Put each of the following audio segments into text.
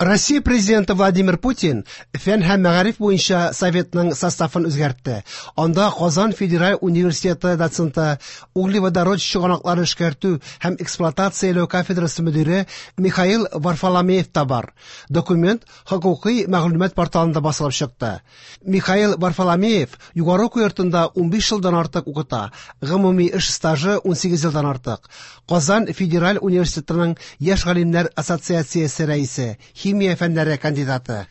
Россия президенты Владимир Путин фән һәм мәгариф буенча советның составын үзгәртте. Анда Казан федераль университеты доценты, углеводород чыганакларын эшкәртү һәм эксплуатацияләү кафедрасы мөдире Михаил Варфоломеев та бар. Документ хокукый мәгълүмат порталында басылып чыкты. Михаил Варфоломеев югары уку йортында 15 елдан артык укыта, гомуми эш стажы 18 елдан артык. Казан федераль университетының яшь галимнәр ассоциациясе рәисе, химия фәннәре кандидаты.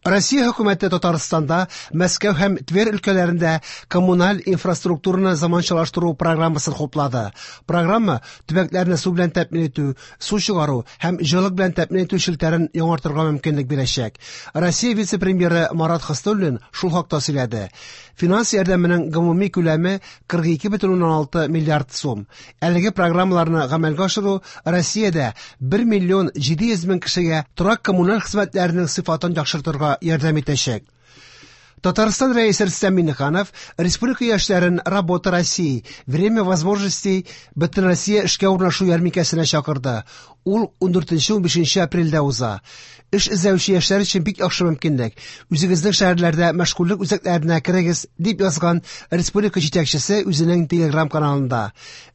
Россия хөкүмәте Татарстанда, Мәскәү һәм Тверь өлкәләрендә коммуналь инфраструктураны заманчалаштыру программасын хуплады. Программа төбәкләрне су белән тәэмин итү, су чыгару һәм җылылык белән тәэмин итү челтәрен яңартырга мөмкинлек бирәчәк. Россия вице-премьеры Марат Хөснуллин шул хакта сөйләде. Финанс ярдәменең гомуми күләме 42,6 миллиард сум. Әлеге программаларны гамәлгә ашыру Россиядә 1 миллион 700 мең кешегә торак-коммуналь хезмәтләренең сыйфатын яхшыртырга ярдәм итәчәк. Татарстан Рәисе Рөстәм Миңнеханов республика яшьләрен «Работа России. Время возможностей» Бөтенроссия эшкә урнашу ярминкәсенә чакырды. Ул 14-15 апрельдә уза. Эш эзләүче яшьләр өчен бик яхшы мөмкинлек. Үзегезнең шәһәрләрдә мәшгульлек үзәкләренә керегез, дип язган республика җитәкчесе үзенең Телеграм-каналында.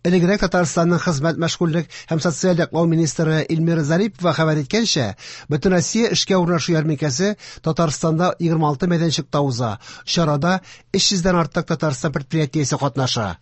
Элегрәк Татарстанның хезмәт, мәшгульлек һәм социаль яклау министры Эльмира Зарипова хәбәр иткәнчә, Бөтенроссия эшкә урнашу ярминкәсе Татарстанда 26 мәйданчыкта уза. Чарада 300 дән артык Татарстан предприятиесе катнаша.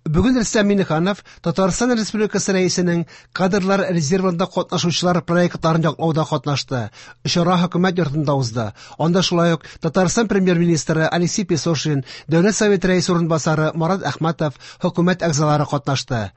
Бүген Рөстәм Миңнеханов Татарстан Республикасы Рәисенең кадрлар резервында катнашучылар проектларын яклауда катнашты. Чара хөкүмәт йортында узды. Анда шулай ук Татарстан премьер-министры Алексей Песошин, Дәүләт Советы рәисе урынбасары Марат Әхмәтов, хөкүмәт әгъзалары катнашты.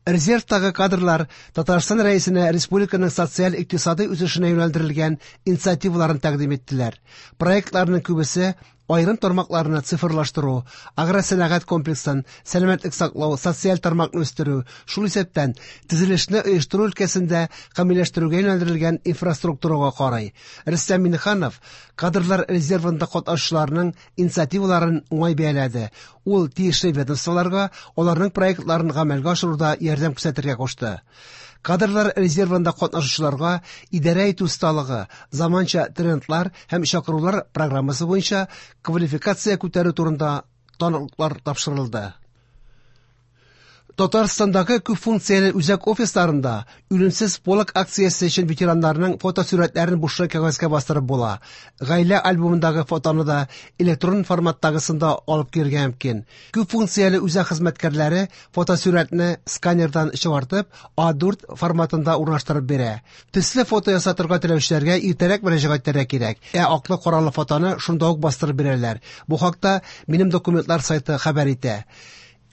Резервтагы кадрлар Татарстан Рәисенә республиканың социаль-икътисадый үсешенә юнәлдерелгән инициативаларын тәкъдим иттеләр. Проектларның күбесе аерым тармакларны цифрлаштыру, агросәнәгать комплексын, сәламәтлек саклау, социаль тармакны үстерү, шул исәптән төзелешне оештыру өлкәсендә камилләштерүгә юнәлдерелгән инфраструктурага карый. Рөстәм Миңнеханов кадрлар резервында катнашучыларның инициативаларын уңай бәяләде. Ул тиешле ведомстволарга аларның проектларын гамәлгә ашыруда ярдәм күрсәтергә кушты. Кадрлар резервында катнашучыларга идарә итү осталыгы, заманча трендлар һәм чакырулар программасы буенча квалификация күтәрү турында таныклыклар тапшырылды. Татарстандагы күп функцияле үзәк офисларында Үлемсез полк акциясе өчен ветераннарның фотосурәтләрен бушлай кәгазьгә бастырып була. Гаилә альбомындагы фотоны да электрон форматтагысын да алып килергә мөмкин. Күп функцияле үзәк хезмәткәрләре фотосурәтне сканердан чыгартып, А4 форматында урнаштырып бирә. Төсле фото ясатырга теләүчеләргә иртәрәк мөрәҗәгать итәргә кирәк. Ә аклы-каралы фотоны шунда ук бастырып бирәләр. Бу хакта Минем документлар сайты хәбәр итә.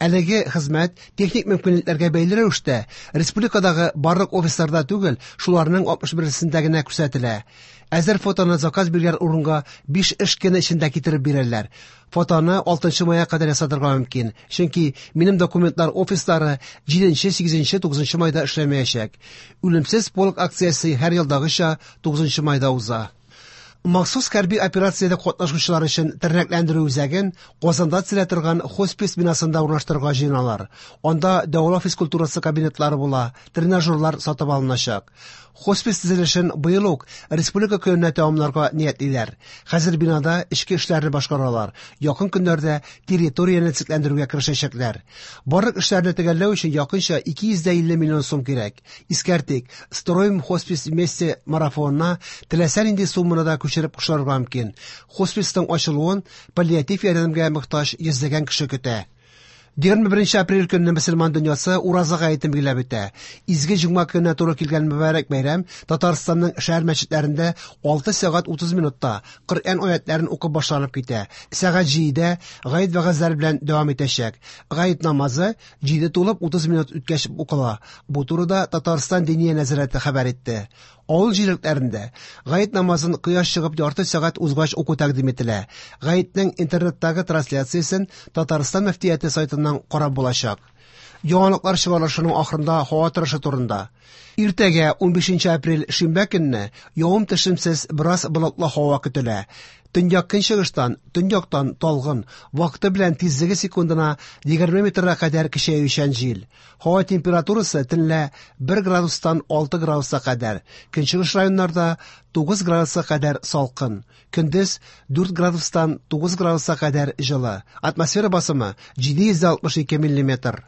Әлеге хезмәт техник мөмкинлекләргә бәйле рәвештә республикадагы барлык офисларда түгел, шуларның 61-сендә генә күрсәтелә. Әзер фотоны заказ биргән урынга 5 эш көне эчендә китереп бирәләр. Фотоны 6 майга кадәр ясатырга мөмкин, чөнки минем документлар офислары 7, 8, 9 майда эшләмәячәк. Үлемсез полк акциясе һәр елдагыча 9 майда уза. Махсус хәрби операциядә катнашучылар өчен тернәкләндерү үзәген Казанда төзелә торган хоспис бинасында урнаштырырга җыеналар. Анда дәвалау физкультурасы кабинетлары була, тренажерлар сатып алыначак. Хоспис төзелешен быел ук республика көненә тәмамларга ниятлиләр. Хәзер бинада эчке эшләрне башкаралар. Якын көннәрдә территорияне төзекләндерүгә керешәчәкләр. Барлык эшләрне төгәлләү өчен якынча 250 миллион сум кирәк. Искәртик, Строим хоспис вместе марафонына теләсә нинди сумманы да күчереп кушарга мөмкин. Хосписның ачылуын паллиатив ярдәмгә мохтаҗ йөзләгән кеше көтә. 21 апрель көнне мөселман дөньясы Ураза гаетен билгеләп үтә. Изге җомга көненә туры килгән мөбарәк бәйрәм Татарстанның шәһәр мәчетләрендә 6 сәгать 30 минутта Коръән аятларын укып башланып китә. Сәгать 7-дә гает вәгазьләре белән дәвам итәчәк. Гает намазы 7 тулып 30 минут үткәч укыла. Бу турыда Татарстан Диния нәзарәте хәбәр итте. Авыл җирлекләрендә гает намазын кояш чыгып ярты сәгать узгач уку тәкъдим ителә. Гаетнең интернеттагы трансляциясен Татарстан мөфтияте сайтыннан карап булачак. Яңалыклар чыгарылышының ахырында һава торышы турында. Иртәгә 15 апрель шимбә көнне явым-төшемсез бераз болытлы һава көтелә. Төньяк-көнчыгыштан, төньяктан талгын, вакыты белән тизлеге секундына 20 метрга кадәр көчәючән җил. Һава температурасы төнлә 1 градустан 6 градуска кадәр, көнчыгыш районнарда 9 градуска кадәр салкын. Көндез 4 градустан 9 градуска кадәр җылы. Атмосфера басымы 762 миллиметр.